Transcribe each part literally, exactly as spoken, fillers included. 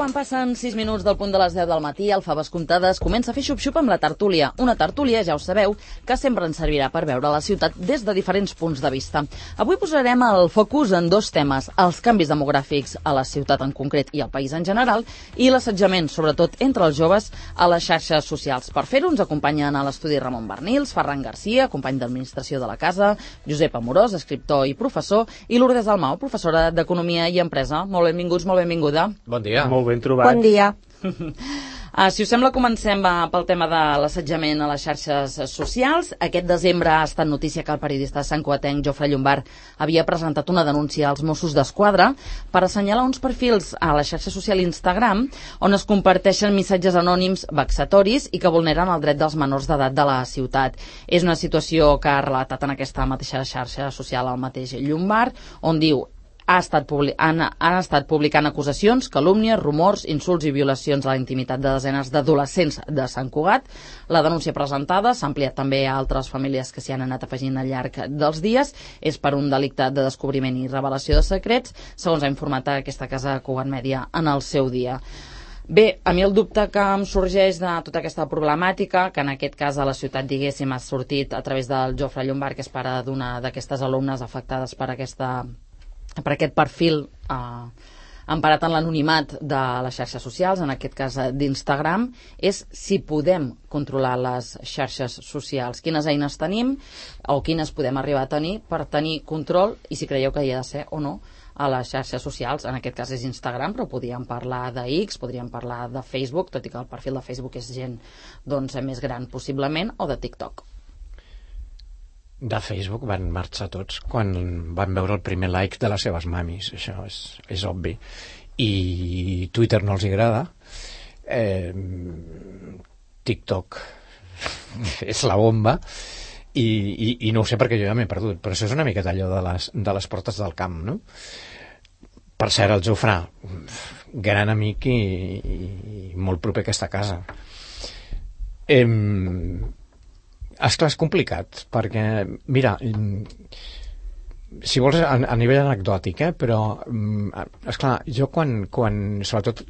quan passen sis minuts del punt de les deu del matí, el Faves Comptades comença a fer xup-xup amb la tertúlia. Una tertúlia, ja ho sabeu, que sempre ens servirà per veure la ciutat des de diferents punts de vista. Avui posarem el focus en dos temes, els canvis demogràfics a la ciutat en concret i al país en general, i l'assetjament, sobretot entre els joves, a les xarxes socials. Per fer-ho ens acompanyen a l'estudi Ramon Bernils, Ferran Garcia, company d'administració de la casa, Josep Amorós, escriptor i professor, i Lourdes Dalmau, professora d'Economia i Empresa. Molt benvinguts, molt benvinguda. Bon dia. Molt ben trobat. Bon dia. Uh, si us sembla, comencem uh, pel tema de l'assetjament a les xarxes socials. Aquest desembre ha estat notícia que el periodista santcugatenc Jofre Llombart havia presentat una denúncia als Mossos d'Esquadra per assenyalar uns perfils a la xarxa social Instagram on es comparteixen missatges anònims vexatoris i que vulneren el dret dels menors d'edat de la ciutat. És una situació que ha relatat en aquesta mateixa xarxa social el mateix Llombart, on diu Ha estat han, han estat publicant acusacions, calúmnies, rumors, insults i violacions a la intimitat de desenes d'adolescents de Sant Cugat. La denúncia presentada s'ha ampliat també a altres famílies que s'hi han anat afegint al llarg dels dies. És per un delicte de descobriment i revelació de secrets, segons ha informat aquesta casa Cugat Mèdia en el seu dia. Bé, a mi el dubte que em sorgeix de tota aquesta problemàtica, que en aquest cas a la ciutat, diguéssim, ha sortit a través del Jofre Llombart, que és pare d'una d'aquestes alumnes afectades per aquesta per aquest perfil eh, emparat en l'anonimat de les xarxes socials, en aquest cas d'Instagram, és si podem controlar les xarxes socials, quines eines tenim o quines podem arribar a tenir per tenir control i si creieu que hi ha de ser o no a les xarxes socials. En aquest cas és Instagram, però podríem parlar de X, podríem parlar de Facebook, tot i que el perfil de Facebook és gent doncs, més gran possiblement, o de TikTok. De Facebook van marxar tots quan van veure el primer like de les seves mamis, això és, és obvi. I Twitter no els agrada, eh, TikTok és la bomba, i, i, i no ho sé perquè jo ja m'he perdut, però això és una miqueta allò de les, de les portes del camp, no? Per cert, el Jofrà, gran amic i, i, i molt proper a aquesta casa. Eh, Esclar, és complicat, perquè, mira, si vols a, a nivell anecdòtic, eh, però, esclar, jo quan, quan, sobretot,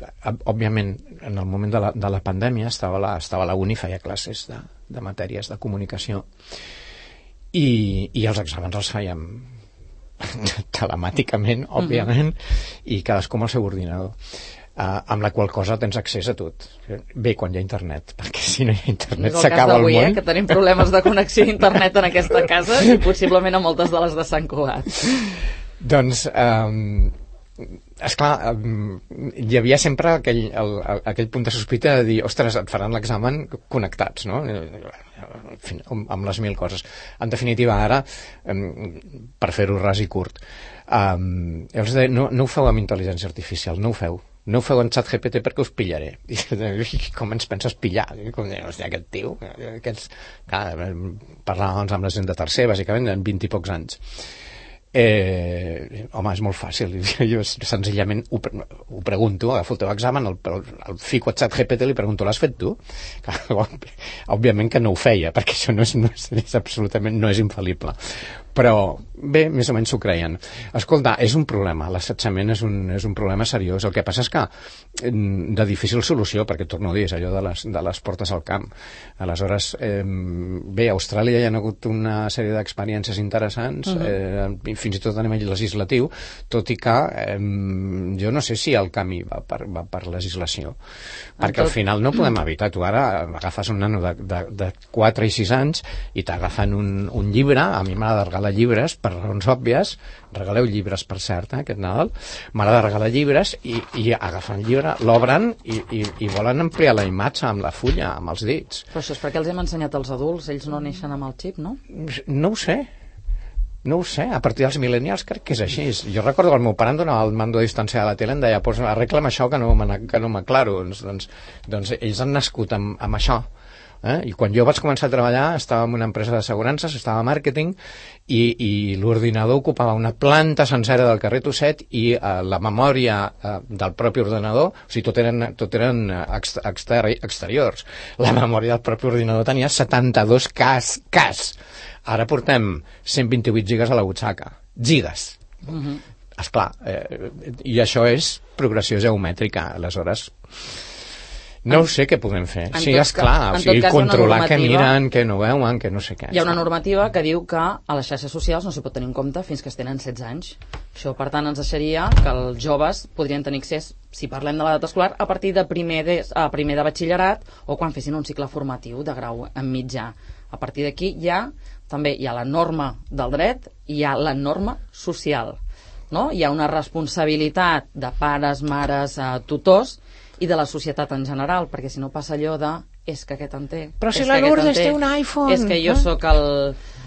òbviament, en el moment de la, de la pandèmia, estava a la, estava a la uni, feia classes de, de matèries de comunicació, i, i els exàmens els fèiem telemàticament, òbviament, mm-hmm. i cadascú amb el seu ordinador. Uh, amb la qual cosa tens accés a tot. Bé, quan hi ha internet, perquè si no hi ha internet s'acaba el món. Eh, que tenim problemes de connexió a internet en aquesta casa i possiblement a moltes de les de Sant Cugat. Doncs, um, esclar, um, hi havia sempre aquell, el, el, aquell punt de sospita de dir, ostres, et faran l'examen connectats, no? Amb les mil coses. En definitiva, ara, um, per fer-ho ras i curt, um, els de, no, no ho feu amb intel·ligència artificial, no ho feu. No ho feu en xat G P T perquè us pillaré. I, com ens penses pillar? Com, hòstia, aquest tio, aquests... Clar, parlàvem amb la gent de tercer, bàsicament, en vint i pocs anys. Eh, home, és molt fàcil. Jo senzillament ho, ho pregunto, agafo el teu examen, el, el, el fico a xat G P T i li pregunto, l'has fet tu? Òbviament que no ho feia, perquè això no és, no és, és absolutament, no és infal·lible. Però, bé, més o menys s'ho creien. Escolta, és un problema, l'assetjament és un, és un problema seriós. El que passa és que de difícil solució, perquè torno a dir, és allò de les, de les portes al camp. Aleshores, eh, bé, a Austràlia hi ha hagut una sèrie d'experiències interessants, uh-huh. eh, fins i tot a nivell legislatiu, tot i que eh, jo no sé si el camí va per, va per legislació. Perquè tot... al final no podem evitar. Tu ara agafes un nano de, de, de quatre i sis anys i t'agafen un, un llibre, a mi m'ha de regalar llibres, per raons òbvies, regaleu llibres, per cert, eh, aquest Nadal, m'agrada regalar llibres i, i agafen el llibre, l'obren i, i, i volen ampliar la imatge amb la fulla, amb els dits. Però això és perquè els hem ensenyat als adults, ells no neixen amb el xip, no? No ho sé. No ho sé, a partir dels millennials crec que és així. Jo recordo que el meu pare em donava el mando de distància de la tele, em deia, pues, arregla'm això que no, que no m'aclaro. Doncs, doncs, doncs ells han nascut amb, amb això. Eh? I quan jo vaig començar a treballar estava en una empresa d'assegurances, estava a màrqueting i, i l'ordinador ocupava una planta sencera del carrer Tosset i eh, la memòria eh, del propi ordenador, o sigui, tot eren, tot eren exteri exteriors. La memòria del propi ordinador tenia setanta-dos cas, cas. Ara portem cent vint-i-vuit gigas a la butxaca. Gigas. Uh-huh. esclar, eh, i això és progressió geomètrica, aleshores no en, sé què podem fer. Sí, esclar, o sigui, controlar què miren, què no veuen, què no sé què. Hi ha una normativa que diu que a les xarxes socials no s'hi pot tenir en compte fins que es tenen setze anys. Això, per tant, ens deixaria que els joves podrien tenir accés, si parlem de l'edat escolar, a partir de primer de, a primer de batxillerat o quan fessin un cicle formatiu de grau en mitjà. A partir d'aquí ja també hi ha la norma del dret i hi ha la norma social. No? Hi ha una responsabilitat de pares, mares, eh, tutors i de la societat en general, perquè si no passa allò de és que aquest en té. Però si la Lourdes té un iPhone. És que jo eh? sóc el...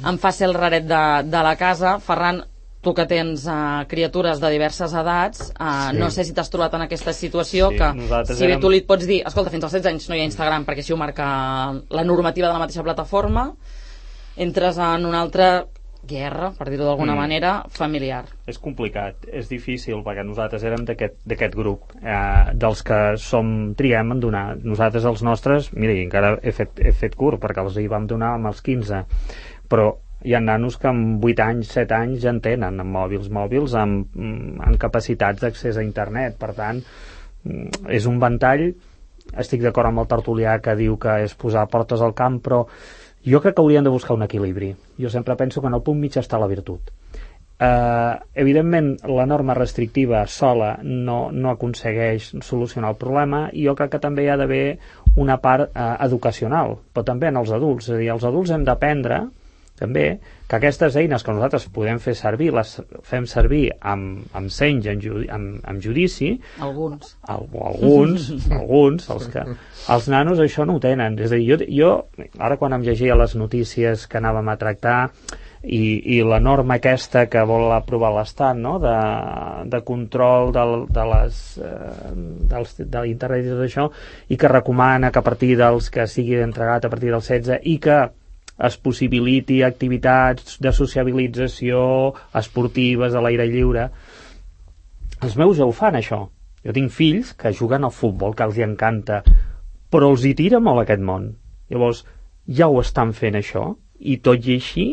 em fa ser el raret de, de la casa. Ferran, tu que tens uh, criatures de diverses edats, uh, sí. no sé si t'has trobat en aquesta situació sí, que si bé érem... tu li pots dir, escolta, fins als setze anys no hi ha Instagram perquè així ho marca la normativa de la mateixa plataforma, entres en una altra guerra, per dir-ho d'alguna mm. manera, familiar. És complicat, és difícil, perquè nosaltres érem d'aquest grup, eh, dels que som, triem en donar. Nosaltres, els nostres, mira, encara he fet, he fet curt, perquè els hi vam donar amb els quinze, però hi ha nanos que amb vuit anys, set anys ja en tenen, amb mòbils, mòbils amb, amb capacitats d'accés a internet. Per tant, és un ventall. Estic d'acord amb el tertulià que diu que és posar portes al camp, però jo crec que hauríem de buscar un equilibri. Jo sempre penso que en el punt mig està la virtut. Eh, evidentment, la norma restrictiva sola no, no aconsegueix solucionar el problema, i jo crec que també hi ha d'haver una part eh, educacional, però també en els adults. És a dir, els adults hem d'aprendre també que aquestes eines que nosaltres podem fer servir, les fem servir amb, amb seny, amb, judi, amb, amb judici. Alguns. Al, alguns, alguns, els que... Els nanos això no ho tenen. És a dir, jo, jo ara quan em llegia les notícies que anàvem a tractar i, i la norma aquesta que vol aprovar l'Estat, no?, de, de control del, de les, eh, dels, de l'internet i tot això, i que recomana que a partir dels que sigui entregat a partir dels setze i que es possibiliti activitats de sociabilització esportives a l'aire lliure. Els meus ja ho fan, això. Jo tinc fills que juguen al futbol, que els hi encanta, però els hi tira molt aquest món. Llavors, ja ho estan fent, això, i tot i així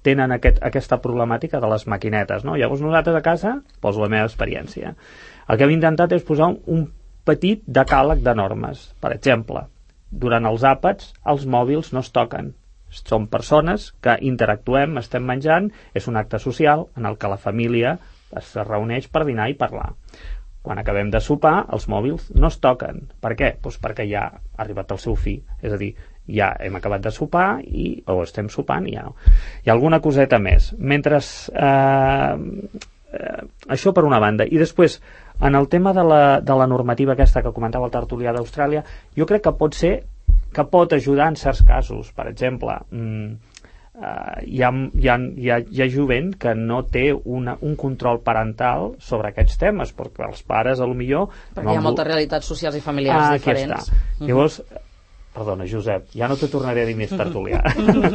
tenen aquest, aquesta problemàtica de les maquinetes, no? Llavors nosaltres a casa, poso la meva experiència, el que hem intentat és posar un, un petit decàleg de normes. Per exemple, durant els àpats els mòbils no es toquen. Som persones que interactuem, estem menjant, és un acte social en el que la família es reuneix per dinar i parlar. Quan acabem de sopar, els mòbils no es toquen. Per què? Doncs perquè ja ha arribat el seu fi. És a dir, ja hem acabat de sopar i, o estem sopant i ja no. Hi ha alguna coseta més. Mentre eh, eh, això per una banda. I després, en el tema de la, de la normativa aquesta que comentava el tertulià d'Austràlia, jo crec que pot ser que pot ajudar en certs casos. Per exemple, mmm, uh, hi, ha, hi, ha, hi, ha, hi ha jovent que no té una, un control parental sobre aquests temes, perquè els pares, a lo millor... Perquè no hi ha moltes realitats socials i familiars ah, diferents. Uh-huh. Llavors, perdona, Josep, ja no te tornaré a dir més tertulià. uh,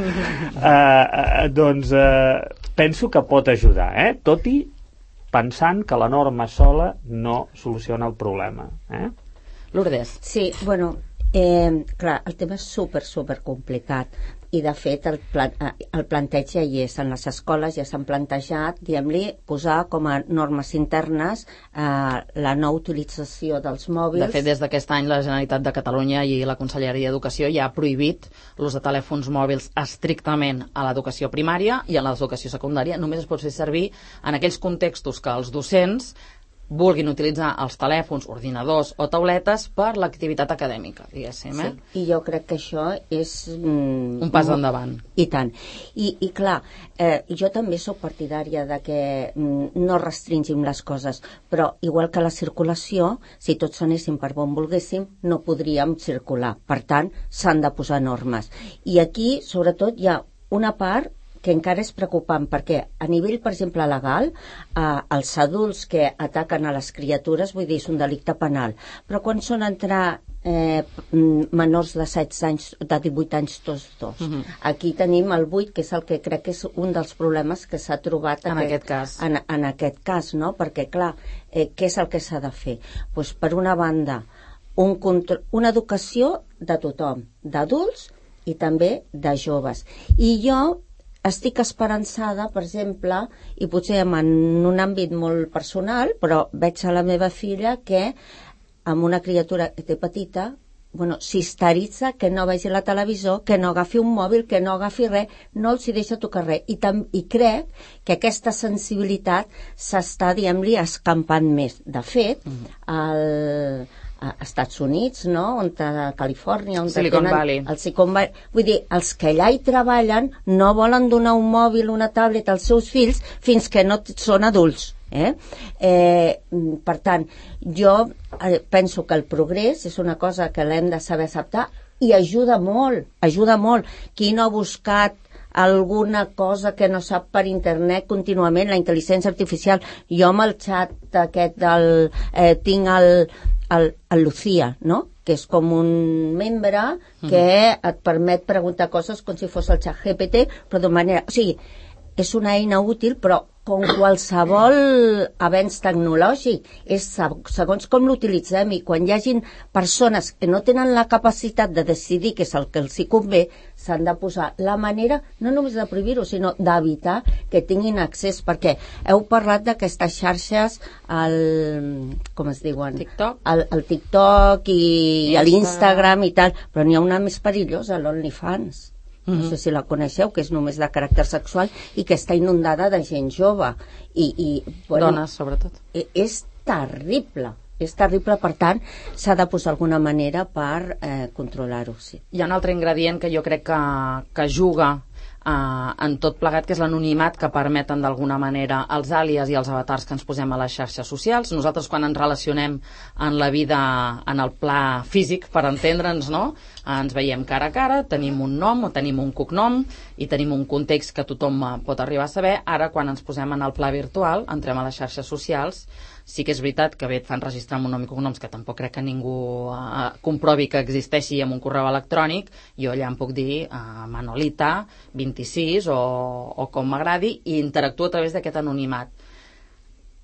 uh, doncs uh, penso que pot ajudar, eh? Tot i pensant que la norma sola no soluciona el problema. Eh? Lourdes. Sí, bueno... Eh, clar, el tema és super, super complicat i de fet el, plan, el planteig ja hi és en les escoles, ja s'han plantejat, diguem-li, posar com a normes internes eh, la no utilització dels mòbils. De fet, des d'aquest any la Generalitat de Catalunya i la Conselleria d'Educació ja ha prohibit l'ús de telèfons mòbils estrictament a l'educació primària, i a l'educació secundària només es pot fer servir en aquells contextos que els docents vulguin utilitzar els telèfons, ordinadors o tauletes per l'activitat acadèmica, diguéssim. Eh? Sí, i jo crec que això és... Mm, un pas endavant. I tant. I, i clar, eh, jo també sóc partidària de que mm, no restringim les coses, però igual que la circulació, si tots anéssim per on volguéssim, no podríem circular. Per tant, s'han de posar normes. I aquí, sobretot, hi ha una part que encara és preocupant, perquè a nivell, per exemple, legal, eh, els adults que ataquen a les criatures, vull dir, és un delicte penal, però quan són entrar eh, menors de setze anys, de divuit anys, tots dos. Uh-huh. Aquí tenim el vuit, que és el que crec que és un dels problemes que s'ha trobat en aquest, aquest cas. En, en aquest cas, no? Perquè, clar, eh, què és el que s'ha de fer? Pues, per una banda, un control, una educació de tothom, d'adults i també de joves. I jo estic esperançada, per exemple, i potser en un àmbit molt personal, però veig a la meva filla que amb una criatura que té petita, bueno, s'histeritza que no vegi la televisió, que no agafi un mòbil, que no agafi res, no els hi deixa tocar res. I, tam I crec que aquesta sensibilitat s'està, diguem-li, escampant més. De fet, mm. el... a Estats Units, no? On a Califòrnia, on Silicon tenen Valley. el Silicon Valley. Vull dir, els que allà hi treballen no volen donar un mòbil, una tablet als seus fills fins que no són adults. Eh? Eh, per tant, jo eh, penso que el progrés és una cosa que l'hem de saber acceptar i ajuda molt, ajuda molt. Qui no ha buscat alguna cosa que no sap per internet contínuament, la intel·ligència artificial? Jo amb el xat aquest del... Eh, tinc el, el, el Lucía, no?, que és com un membre que et permet preguntar coses com si fos el xat G P T, però de manera... O sigui, és una eina útil, però com qualsevol avenç tecnològic, és segons com l'utilitzem, i quan hi hagin persones que no tenen la capacitat de decidir què és el que els hi convé, s'han de posar la manera, no només de prohibir-ho, sinó d'evitar que tinguin accés, perquè heu parlat d'aquestes xarxes, el, com es diuen? TikTok. El, el TikTok i, i Insta. l'Instagram i tal, però n'hi ha una més perillosa, l'OnlyFans. No sé si la coneixeu, que és només de caràcter sexual i que està inundada de gent jove. I, i, bueno, Dones, sobretot. És terrible, és terrible, per tant, s'ha de posar alguna manera per eh, controlar-ho. Sí. Hi ha un altre ingredient que jo crec que, que juga Uh, en tot plegat, que és l'anonimat que permeten d'alguna manera els àlies i els avatars que ens posem a les xarxes socials. Nosaltres, quan ens relacionem en la vida en el pla físic, per entendre'ns, no? Ens veiem cara a cara, tenim un nom o tenim un cognom i tenim un context que tothom pot arribar a saber. Ara, quan ens posem en el pla virtual, entrem a les xarxes socials, sí que és veritat que bé et fan registrar amb un nom i cognoms que tampoc crec que ningú uh, comprovi que existeixi amb un correu electrònic. Jo allà em puc dir uh, Manolita vint-i-sis o, o com m'agradi, i interactuo a través d'aquest anonimat.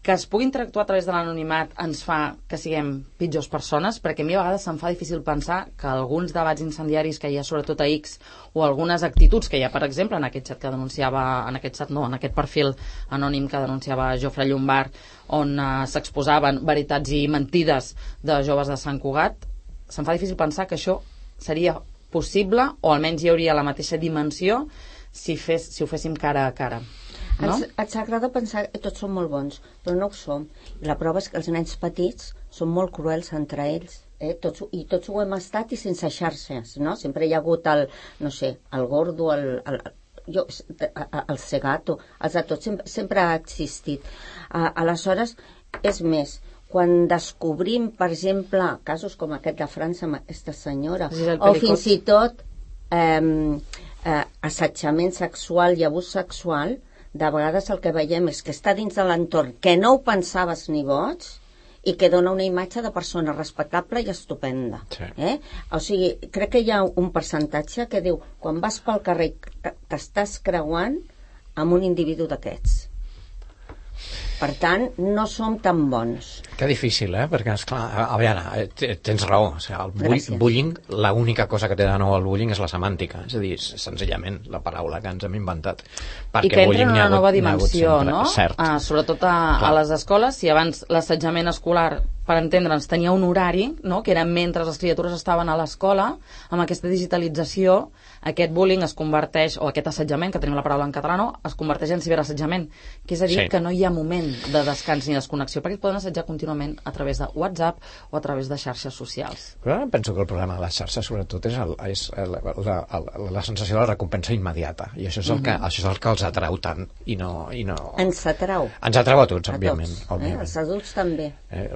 Que es pugui interactuar a través de l'anonimat ens fa que siguem pitjors persones, perquè a mi a vegades se'm fa difícil pensar que alguns debats incendiaris que hi ha sobretot a X, o algunes actituds que hi ha, per exemple, en aquest xat que denunciava, en aquest xat no, en aquest perfil anònim que denunciava Jofre Llombart, on uh, s'exposaven veritats i mentides de joves de Sant Cugat, se'm fa difícil pensar que això seria possible, o almenys hi hauria la mateixa dimensió si, fes, si ho féssim cara a cara. No? Ens, ens agrada pensar que tots som molt bons, però no ho som. I la prova és que els nens petits són molt cruels entre ells. Eh? Tots, I tots ho hem estat i sense xarxes, no? Sempre hi ha hagut el, no sé, el gordo, el, el, jo, el cegato, els de tots sempre, sempre ha existit. Uh, aleshores, és més, quan descobrim, per exemple, casos com aquest de França amb aquesta senyora, o fins i tot eh, eh, assetjament sexual i abús sexual, de vegades el que veiem és que està dins de l'entorn que no ho pensaves ni boig i que dona una imatge de persona respectable i estupenda. Sí. Eh? O sigui, crec que hi ha un percentatge que diu, quan vas pel carrer t'estàs creuant amb un individu d'aquests. Per tant, no som tan bons. Que difícil, eh? Perquè, esclar, a, a veure, tens raó. O sigui, el bull, bullying, l'única cosa que té de nou el bullying és la semàntica. És a dir, senzillament la paraula que ens hem inventat. Perquè I que entra en una hagut, nova dimensió, sempre, no? Cert. Ah, sobretot a, a les escoles, si abans l'assetjament escolar, per entendre'ns, tenia un horari, no? Que era mentre les criatures estaven a l'escola, amb aquesta digitalització, aquest bullying es converteix, o aquest assetjament, que tenim la paraula en català, no? Es converteix en ciberassetjament, que és a dir, sí. que no hi ha moment de descans ni desconnexió, perquè et poden assetjar contínuament a través de WhatsApp o a través de xarxes socials. Però penso que el problema de les xarxes sobretot és, el, és el, la, la, la sensació de la recompensa immediata, i això és el, que, mm-hmm. això és el que els atrau tant i no, i no... Ens atrau. Ens atrau a tots, a òbviament. Tots, òbviament. Eh? Els adults també. Eh,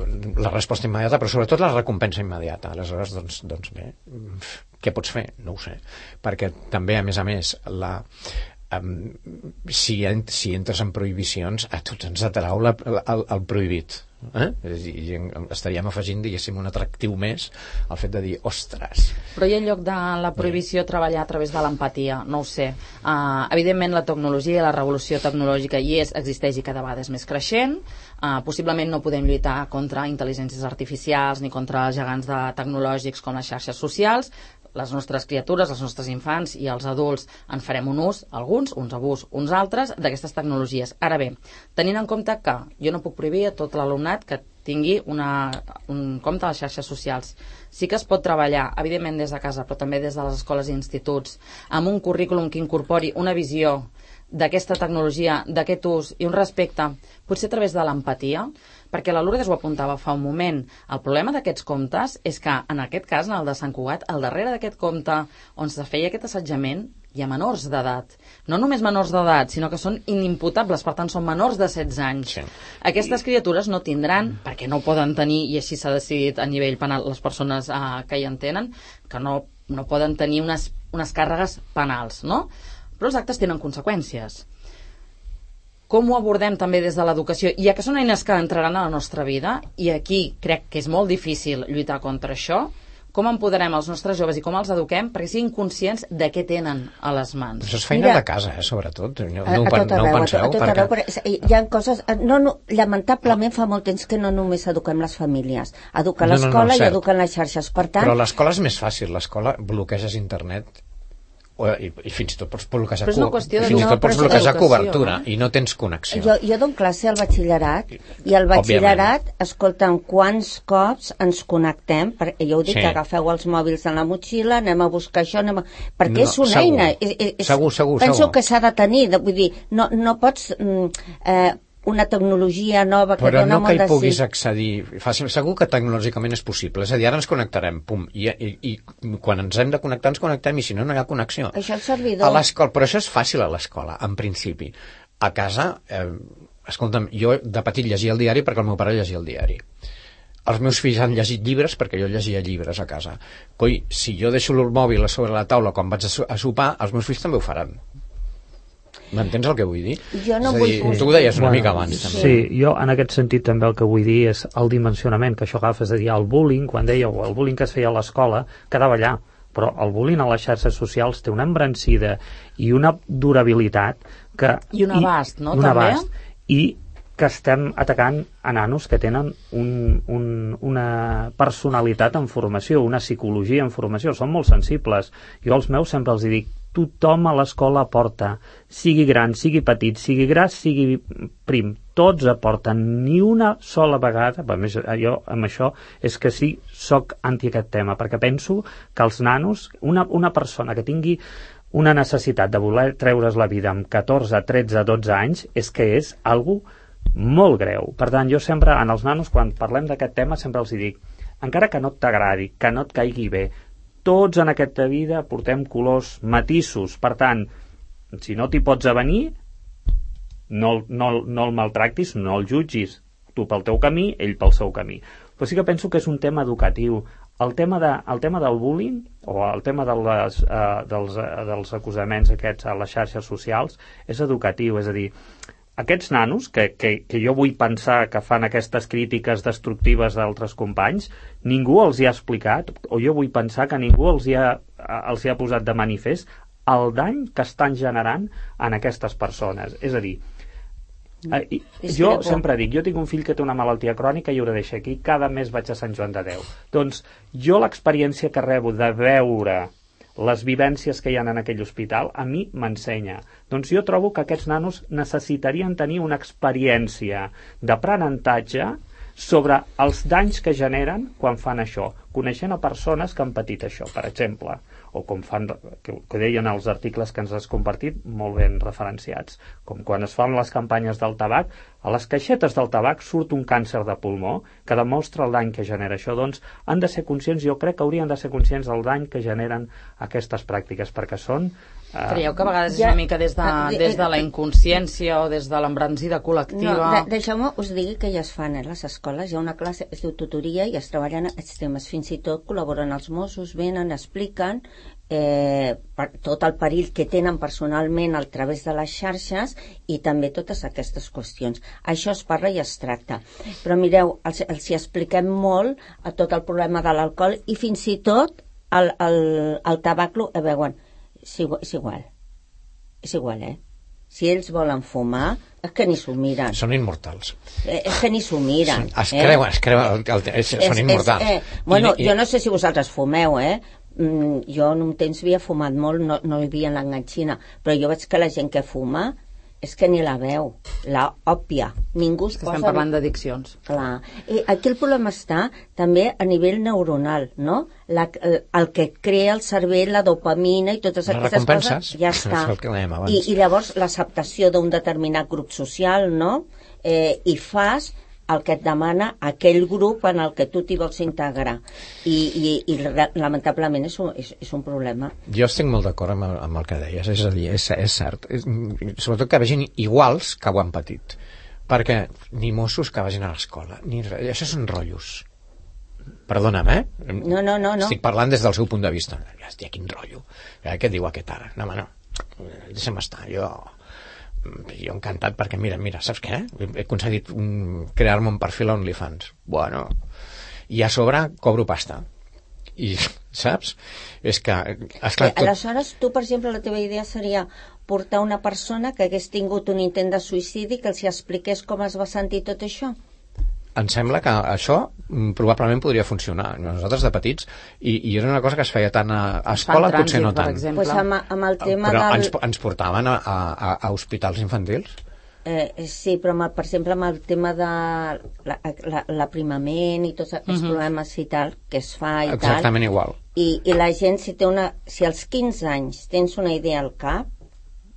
la resposta immediata, però sobretot la recompensa immediata. Aleshores, doncs, doncs bé, què pots fer? No ho sé. Perquè també, a més a més, la... Um, si, en, si entres en prohibicions, a tots ens atrau la, el, el prohibit. Eh? I, i estaríem afegint, diguéssim, un atractiu més al fet de dir, ostres. Però hi ha en lloc de la prohibició treballar a través de l'empatia, no ho sé. Uh, evidentment la tecnologia, la revolució tecnològica hi és, existeix i cada vegada és més creixent. Uh, possiblement no podem lluitar contra intel·ligències artificials ni contra els gegants de tecnològics com les xarxes socials. les nostres criatures, els nostres infants i els adults en farem un ús, alguns, uns abús, uns altres, d'aquestes tecnologies. Ara bé, tenint en compte que jo no puc prohibir a tot l'alumnat que tingui una, un compte a les xarxes socials. Sí que es pot treballar, evidentment des de casa, però també des de les escoles i instituts, amb un currículum que incorpori una visió d'aquesta tecnologia, d'aquest ús i un respecte, potser a través de l'empatia, perquè la Lourdes ho apuntava fa un moment. El problema d'aquests comptes és que, en aquest cas, en el de Sant Cugat, al darrere d'aquest compte on se feia aquest assetjament, hi ha menors d'edat. No només menors d'edat, sinó que són inimputables, per tant, són menors de setze anys. Sí. Aquestes criatures no tindran, perquè no poden tenir, i així s'ha decidit a nivell penal les persones eh, que hi en tenen, que no, no poden tenir unes, unes càrregues penals, no? Però els actes tenen conseqüències. Com ho abordem també des de l'educació? Ja que són eines que entraran a la nostra vida, i aquí crec que és molt difícil lluitar contra això, com empoderem els nostres joves i com els eduquem perquè siguin conscients de què tenen a les mans? Això és feina Mira, de casa, eh, sobretot. No, no, ho, no ho penseu? A tot arreu, perquè... Hi ha coses... No, no, lamentablement fa molt temps que no només eduquem les famílies. Educa l'escola no, no, no, i eduquen les xarxes. Per tant... Però l'escola és més fàcil. L'escola bloqueges internet o, i, i fins i tot pots bloquejar, co fins i tot pots bloquejar cobertura i no tens connexió. Jo, jo dono classe al batxillerat i al batxillerat, escolta'm, quants cops ens connectem, perquè jo ho dic, sí. Que agafeu els mòbils en la motxilla, anem a buscar això, anem a... perquè no, és una segur. eina. És, és, segur, segur, penso segur. que s'ha de tenir, vull dir, no, no pots... Eh, una tecnologia nova que però dona no molt de... Però no que hi puguis accedir fàcil, segur que tecnològicament és possible, és a dir, ara ens connectarem, pum, i, i, i quan ens hem de connectar ens connectem i si no, no hi ha connexió. Això és servidor. A l'escola, però això és fàcil a l'escola, en principi. A casa, eh, escolta'm, jo de petit llegia el diari perquè el meu pare llegia el diari. Els meus fills han llegit llibres perquè jo llegia llibres a casa. Coi, si jo deixo el mòbil a sobre la taula quan vaig a sopar, els meus fills també ho faran. M'entens el que vull dir? Jo no és a dir, vull... tu ho deies una bueno, mica abans. També. Sí, jo en aquest sentit també el que vull dir és el dimensionament que això agafa, és a dir, el bullying, quan dèieu el bullying que es feia a l'escola, quedava allà, però el bullying a les xarxes socials té una embrancida i una durabilitat que... I un abast, no? I, un també? abast, i que estem atacant a nanos que tenen un, un, una personalitat en formació, una psicologia en formació, són molt sensibles. Jo als meus sempre els dic, tothom a l'escola aporta, sigui gran, sigui petit, sigui gras, sigui prim, tots aporten, ni una sola vegada, a més, jo amb això és que sí, soc anti aquest tema, perquè penso que els nanos, una, una persona que tingui una necessitat de voler treure's la vida amb catorze, tretze, dotze anys, és que és algo molt greu. Per tant, jo sempre, en els nanos, quan parlem d'aquest tema, sempre els dic, encara que no t'agradi, que no et caigui bé, tots en aquesta vida portem colors matisos, per tant, si no t'hi pots avenir, no, no, no el maltractis, no el jutgis, tu pel teu camí, ell pel seu camí. Però sí que penso que és un tema educatiu. El tema, de, el tema del bullying, o el tema de les, uh, dels, uh, dels acusaments aquests a les xarxes socials, és educatiu, és a dir, aquests nanos, que, que, que jo vull pensar que fan aquestes crítiques destructives d'altres companys, ningú els hi ha explicat, o jo vull pensar que ningú els hi ha, els hi ha posat de manifest el dany que estan generant en aquestes persones. És a dir, eh, jo sempre dic, jo tinc un fill que té una malaltia crònica i ho deixo aquí, cada mes vaig a Sant Joan de Déu. Doncs jo l'experiència que rebo de veure les vivències que hi ha en aquell hospital, a mi m'ensenya. Doncs jo trobo que aquests nanos necessitarien tenir una experiència d'aprenentatge sobre els danys que generen quan fan això, coneixent a persones que han patit això, per exemple, o com fan, que, que deien els articles que ens has compartit, molt ben referenciats, com quan es fan les campanyes del tabac, a les caixetes del tabac surt un càncer de pulmó que demostra el dany que genera això. Doncs han de ser conscients, jo crec que haurien de ser conscients del dany que generen aquestes pràctiques, perquè són... Uh, Creieu que a vegades és una mica des de, des de la inconsciència o des de l'embranzida col·lectiva? No, de, deixeu-me us digui que ja es fan eh, les escoles, hi ha una classe, es diu tutoria i es treballen aquests temes, fins i tot col·laboren els Mossos, venen, expliquen eh, per, tot el perill que tenen personalment a través de les xarxes i també totes aquestes qüestions. Això es parla i es tracta. Però mireu, els, els hi expliquem molt a tot el problema de l'alcohol i fins i tot el, el, el tabac, eh, veuen, és igual, és igual, és igual, eh? Si ells volen fumar, és que ni s'ho miren. Són immortals. Eh, és que ni s'ho miren. Es creuen, eh? es creuen, el, el, el, són immortals. És, eh, bueno, I, i... jo no sé si vosaltres fumeu, eh? mm, jo en un temps havia fumat molt, no, no hi havia l'enganxina, però jo veig que la gent que fuma és que ni la veu, la òpia. Ningú es que posa... estem parlant d'addiccions. Clar. I aquí el problema està també a nivell neuronal, no? La, el, el que crea el cervell, la dopamina i totes Les aquestes recompenses, coses, ja està. és el que dèiem abans. I, I llavors l'acceptació d'un determinat grup social, no? Eh, I fas el que et demana aquell grup en el que tu t'hi vols integrar. I, i, i lamentablement és un, és, és un problema. Jo estic molt d'acord amb, el- amb el que deies, és a dir, és, és cert. És, sobretot que vegin iguals que ho han patit. Perquè ni Mossos que vagin a l'escola, ni res, això són rotllos. Perdona'm, eh? No, no, no, no. Estic parlant des del seu punt de vista. Hòstia, quin rotllo. Eh, què diu aquest ara? No, home, no. Deixa'm estar, jo... jo encantat perquè mira, mira, saps què? He aconseguit um, crear-me un perfil a OnlyFans. Bueno, i a sobre cobro pasta. I, saps? És que, esclar, Eh, aleshores, tu, per exemple, la teva idea seria portar una persona que hagués tingut un intent de suïcidi que els hi expliqués com es va sentir tot això? em sembla que això mm, probablement podria funcionar. Nosaltres de petits, i, i era una cosa que es feia tant a, a escola, Fan potser no trànsit, per tant. exemple. Pues amb, amb el tema Però del... ens, ens portaven a, a, a hospitals infantils. Eh, sí, però amb, el- per exemple amb el tema de la- la- l'aprimament i tots aquests Mhm. problemes i tal, que es fa i Exactament igual. tal, i, i la gent si té una, si als quinze anys tens una idea al cap,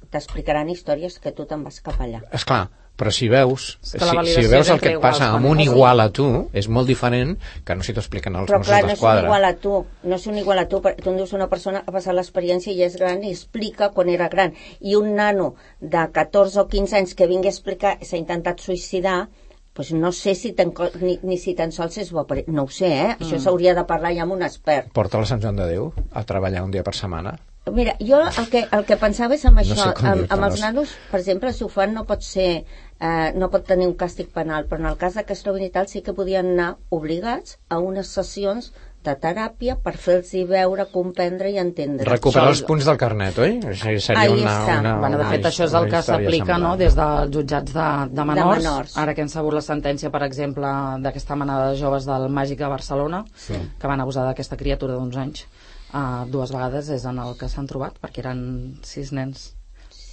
t'explicaran històries que tu te'n vas cap allà. Esclar, però si veus, És si, que la si validació veus és el entre que et passa iguals, amb un quan- igual a tu, és molt diferent que no si t'ho expliquen els Però Mossos clar, no és un d'Esquadra. igual a tu, no és un igual a tu, perquè tu em dius una persona que ha passat l'experiència i és gran i explica quan era gran, i un nano de catorze o quinze anys que vingui a explicar s'ha intentat suïcidar, pues no sé si tan, ni, ni si tan sols és bo, per- no ho sé, eh? Mm. Això s'hauria de parlar ja amb un expert. Porta la Sant Joan de Déu a treballar un dia per setmana. Mira, jo el que, el que pensava és amb això, sé com amb, dir-te, amb els no sé. nanos, per exemple, si ho fan no pot ser, eh, no pot tenir un càstig penal, però en el cas que es trobin i tal sí que podien anar obligats a unes sessions de teràpia per fer-los veure, comprendre i entendre. Recuperar Això- els punts del carnet, oi? Això seria Ahí una, està. una, Bueno, de una fet, això és el una que història s'aplica, no?, semblant. des dels jutjats de, de, menors. De menors. Ara que hem sabut la sentència, per exemple, d'aquesta manada de joves del Màgic de Barcelona, Sí. que van abusar d'aquesta criatura d'uns anys, uh, dues vegades és en el que s'han trobat, perquè eren sis nens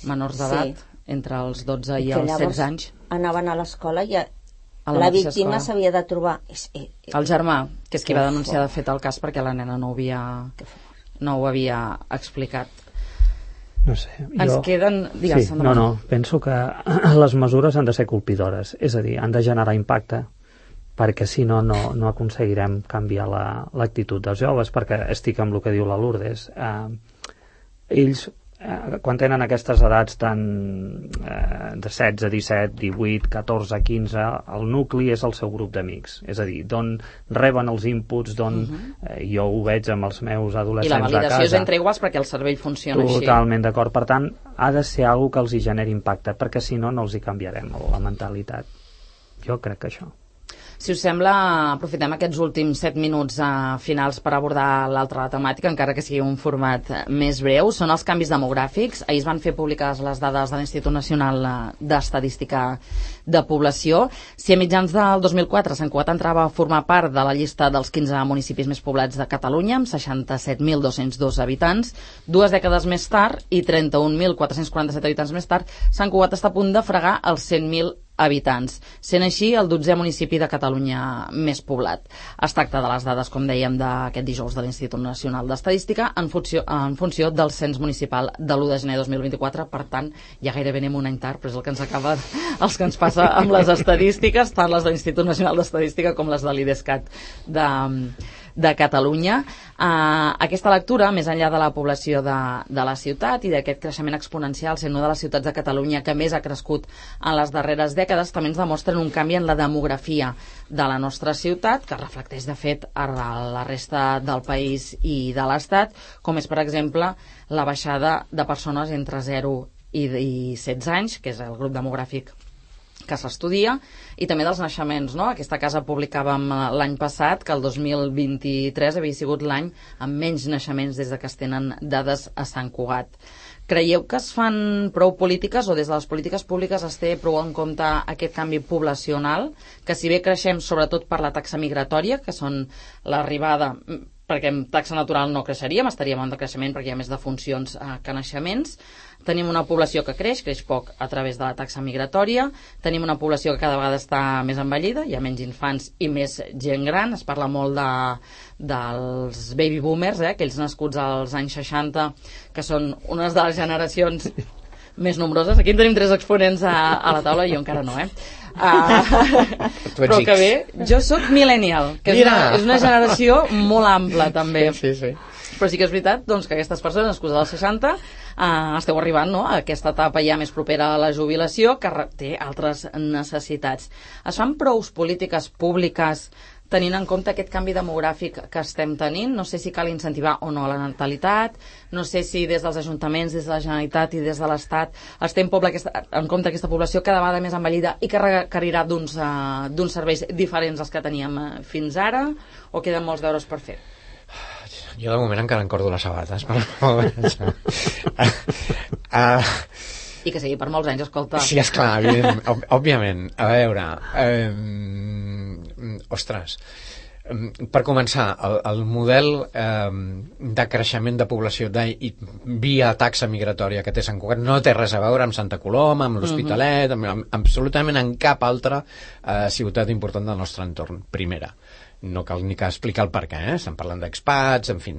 menors d'edat, Sí. entre els dotze i que els llavors setze anys. anaven a l'escola i a, A la la mateixa víctima escola. s'havia de trobar. És, eh, eh, El germà, que és qui Que va denunciar fort. de fet el cas perquè la nena no ho havia, que fort. no ho havia explicat. No sé, Ens jo... queden... Digues, Sí, no, no, penso que les mesures han de ser colpidores, és a dir, han de generar impacte, perquè si no, no, no aconseguirem canviar la- l'actitud dels joves, perquè estic amb el que diu la Lourdes. Eh, ells, eh, quan tenen aquestes edats tan eh, de setze, disset, divuit, catorze, quinze, el nucli és el seu grup d'amics, és a dir, d'on reben els inputs, d'on eh, jo ho veig amb els meus I la adolescents a validació casa. és entre iguals perquè el cervell funciona així. Totalment d'acord. Per tant, ha de ser algo que els hi generi impacte, perquè si no, no els hi canviarem la mentalitat. Jo crec que això. Si us sembla, aprofitem aquests últims set minuts eh, finals per abordar l'altra temàtica, encara que sigui un format eh, més breu. Són els canvis demogràfics. Ahir es van fer públiques les dades de l'Institut Nacional eh, d'Estadística de Població. Si a mitjans del dos mil quatre Sant Cugat entrava a formar part de la llista dels quinze municipis més poblats de Catalunya, amb seixanta-set mil dos-cents dos habitants, dues dècades més tard i trenta-un mil quatre-cents quaranta-set habitants més tard, Sant Cugat està a punt de fregar els cent mil habitants, sent així el dotzè municipi de Catalunya més poblat. Es tracta de les dades, com dèiem, d'aquest dijous de l'Institut Nacional d'Estadística en funció, en funció del cens municipal de l'u de gener de dos mil vint-i-quatre. Per tant, ja gairebé anem un any tard, però és el que ens acaba, els que ens passa amb les estadístiques, tant les de l'Institut Nacional d'Estadística com les de l'IDESCAT de, de Catalunya. Uh, aquesta lectura, més enllà de la població de, de la ciutat i d'aquest creixement exponencial, sent una de les ciutats de Catalunya que més ha crescut en les darreres dècades, també ens demostren un canvi en la demografia de la nostra ciutat, que reflecteix de fet a la resta del país i de l'Estat, com és per exemple la baixada de persones entre zero i, i setze anys, que és el grup demogràfic que s'estudia, i també dels naixements, no? Aquesta casa publicàvem l'any passat que el dos mil vint-i-tres havia sigut l'any amb menys naixements des de que es tenen dades a Sant Cugat. Creieu que es fan prou polítiques, o des de les polítiques públiques es té prou en compte aquest canvi poblacional, que si bé creixem sobretot per la taxa migratòria, que són l'arribada perquè amb taxa natural no creixeríem, estaríem en decreixement perquè hi ha més defuncions eh, que naixements. Tenim una població que creix, creix poc a través de la taxa migratòria. Tenim una població que cada vegada està més envellida, hi ha menys infants i més gent gran. Es parla molt de, dels baby boomers, eh, aquells nascuts als anys seixanta, que són unes de les generacions més nombroses. Aquí en tenim tres exponents a, a la taula, jo encara no, eh? Uh, però que bé, jo sóc millennial, que és una, és una generació molt ampla també. Sí, sí, sí. Però sí que és veritat doncs, que aquestes persones nascudes als seixanta uh, esteu arribant, no?, a aquesta etapa ja més propera a la jubilació, que té altres necessitats. Es fan prous polítiques públiques tenint en compte aquest canvi demogràfic que estem tenint? No sé si cal incentivar o no la natalitat, no sé si des dels ajuntaments, des de la Generalitat i des de l'Estat es té en, poble aquesta, en compte aquesta població cada vegada més envellida i que requerirà d'uns uh, d'uns serveis diferents als que teníem uh, fins ara, o queden molts deures per fer? Jo de moment encara encordo les sabates, però... uh, I que sigui per molts anys, escolta. Sí, esclar, òb òbviament. A veure... Eh, ostres, per començar, el, el model eh, de creixement de població de, i, via taxa migratòria que té Sant Cugat no té res a veure amb Santa Coloma, amb l'Hospitalet, uh -huh. amb, amb, absolutament en cap altra eh, ciutat important del nostre entorn, primera. No cal ni que explicar el per què, eh? Estem parlant d'expats, en fi,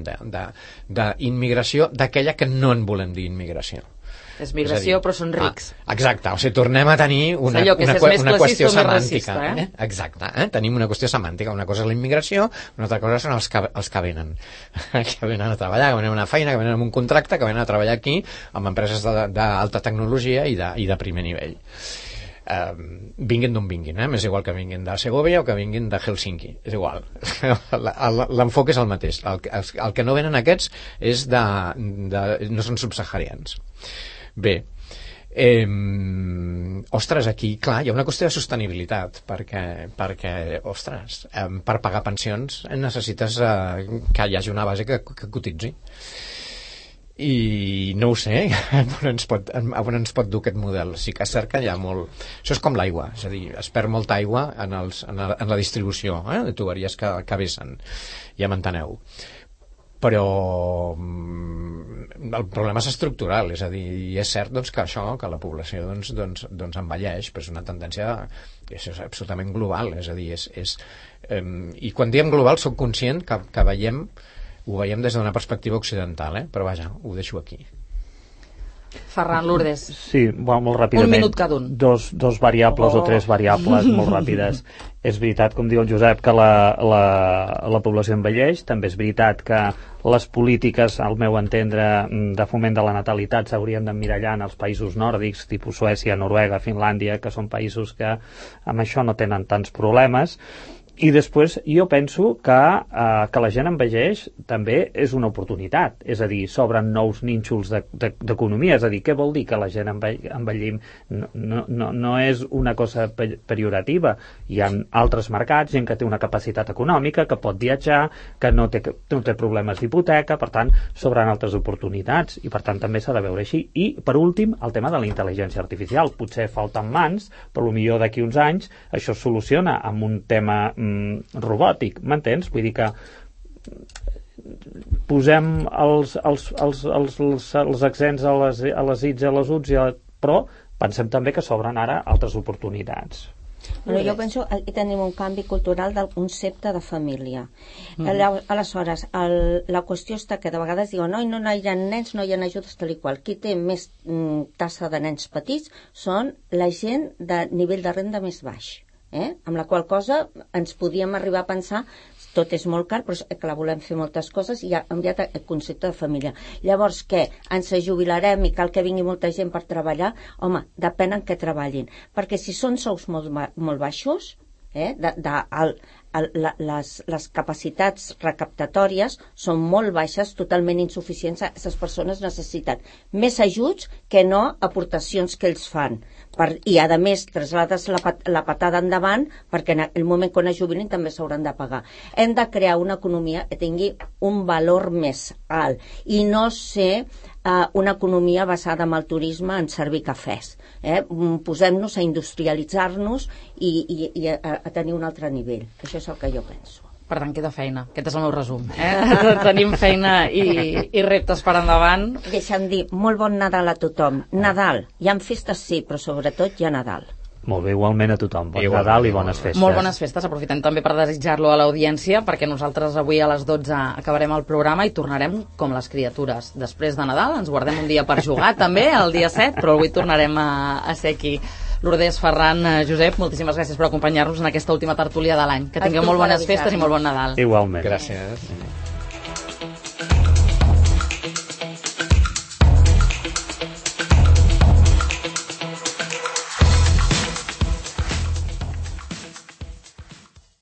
d'immigració, d'aquella que no en volem dir immigració. És migració, és dir, però són rics. Ah, exacte, o sigui, tornem a tenir una, allò, una, una, una qüestió semàntica. Racista, eh? Eh? Exacte, eh? Tenim una qüestió semàntica. Una cosa és la immigració, una altra cosa són els que, els que venen. que venen a treballar, que venen a una feina, que venen amb un contracte, que venen a treballar aquí amb empreses d'alta tecnologia i de, i de primer nivell. Uh, vinguin d'on vinguin, eh? M'és igual que vinguin de Segovia o que vinguin de Helsinki, és igual. L'enfoc és el mateix. El, el, el que no venen aquests és de, de, no són subsaharians. Bé, eh, ostres, aquí, clar, hi ha una qüestió de sostenibilitat, perquè, perquè ostres, eh, per pagar pensions necessites eh, que hi hagi una base que, que cotitzi. I no ho sé on ens, pot, on ens pot dur aquest model. Sí que és cert que hi ha molt... Això és com l'aigua, és a dir, es perd molta aigua en, els, en, la, en la distribució eh, de tuberies que, que vessen, ja m'enteneu. Però el problema és estructural, és a dir, i és cert doncs, que això, que la població doncs, doncs, doncs envelleix, però és una tendència és absolutament global, és a dir, és, és, eh, i quan diem global soc conscient que, que veiem ho veiem des d'una perspectiva occidental, eh? Però vaja, ho deixo aquí. Ferran, Lourdes. Sí, bueno, molt ràpidament. Un minut cada un. Dos, dos variables oh. o tres variables molt ràpides. És veritat, com diu el Josep, que la, la, la població envelleix. També és veritat que les polítiques, al meu entendre, de foment de la natalitat s'haurien d'emmirallar en els països nòrdics, tipus Suècia, Noruega, Finlàndia, que són països que amb això no tenen tants problemes. I després jo penso que, eh, que la gent envelleix també és una oportunitat, és a dir, s'obren nous nínxols d'economia, de, de, és a dir, què vol dir que la gent envellim? No, no, no, no és una cosa pejorativa, hi ha altres mercats, gent que té una capacitat econòmica, que pot viatjar, que no té, no té problemes d'hipoteca, per tant, s'obren altres oportunitats, i per tant també s'ha de veure així. I, per últim, el tema de la intel·ligència artificial. Potser falten mans, però potser d'aquí uns anys això es soluciona amb un tema robòtic, m'entens? Vull dir que posem els, els, els, els, els, els accents a les, a les its i a les uts, però pensem també que s'obren ara altres oportunitats. Però jo penso que tenim un canvi cultural del concepte de família. Mm. Aleshores, el, la qüestió està que de vegades diuen no, no, no hi ha nens, no hi ha ajudes tal i qual. Qui té més mm, tassa de nens petits són la gent de nivell de renda més baix. Eh? Amb la qual cosa ens podíem arribar a pensar tot és molt car, però és que la volem fer moltes coses i ha canviat el concepte de família. Llavors, què? Ens jubilarem i cal que vingui molta gent per treballar? Home, depèn en què treballin. Perquè si són sous molt, molt baixos, eh? de, de, el, el, la, les, les capacitats recaptatòries són molt baixes, totalment insuficients. Aquestes persones necessiten més ajuts que no aportacions que ells fan. Per, i a més traslades la, pat, la patada endavant perquè en el moment quan es jubilin també s'hauran de pagar. Hem de crear una economia que tingui un valor més alt i no ser uh, una economia basada en el turisme en servir cafès. Eh? Posem-nos a industrialitzar-nos i, i, i a, a tenir un altre nivell. Això és el que jo penso. Per tant, queda feina. Aquest és el meu resum. Eh? Tenim feina i, i reptes per endavant. Deixa'm dir, molt bon Nadal a tothom. Nadal, hi ha festes sí, però sobretot hi ha Nadal. Molt bé, igualment a tothom. Bon Igual, Nadal i bones festes. Molt bones festes. Aprofitem també per desitjar-lo a l'audiència, perquè nosaltres avui a les dotze acabarem el programa i tornarem com les criatures. Després de Nadal ens guardem un dia per jugar també, el dia set, però avui tornarem a, a ser aquí. Lourdes, Ferran, Josep, moltíssimes gràcies per acompanyar-nos en aquesta última tertúlia de l'any. Que tingueu molt bones festes i molt bon Nadal. Igualment. Gràcies.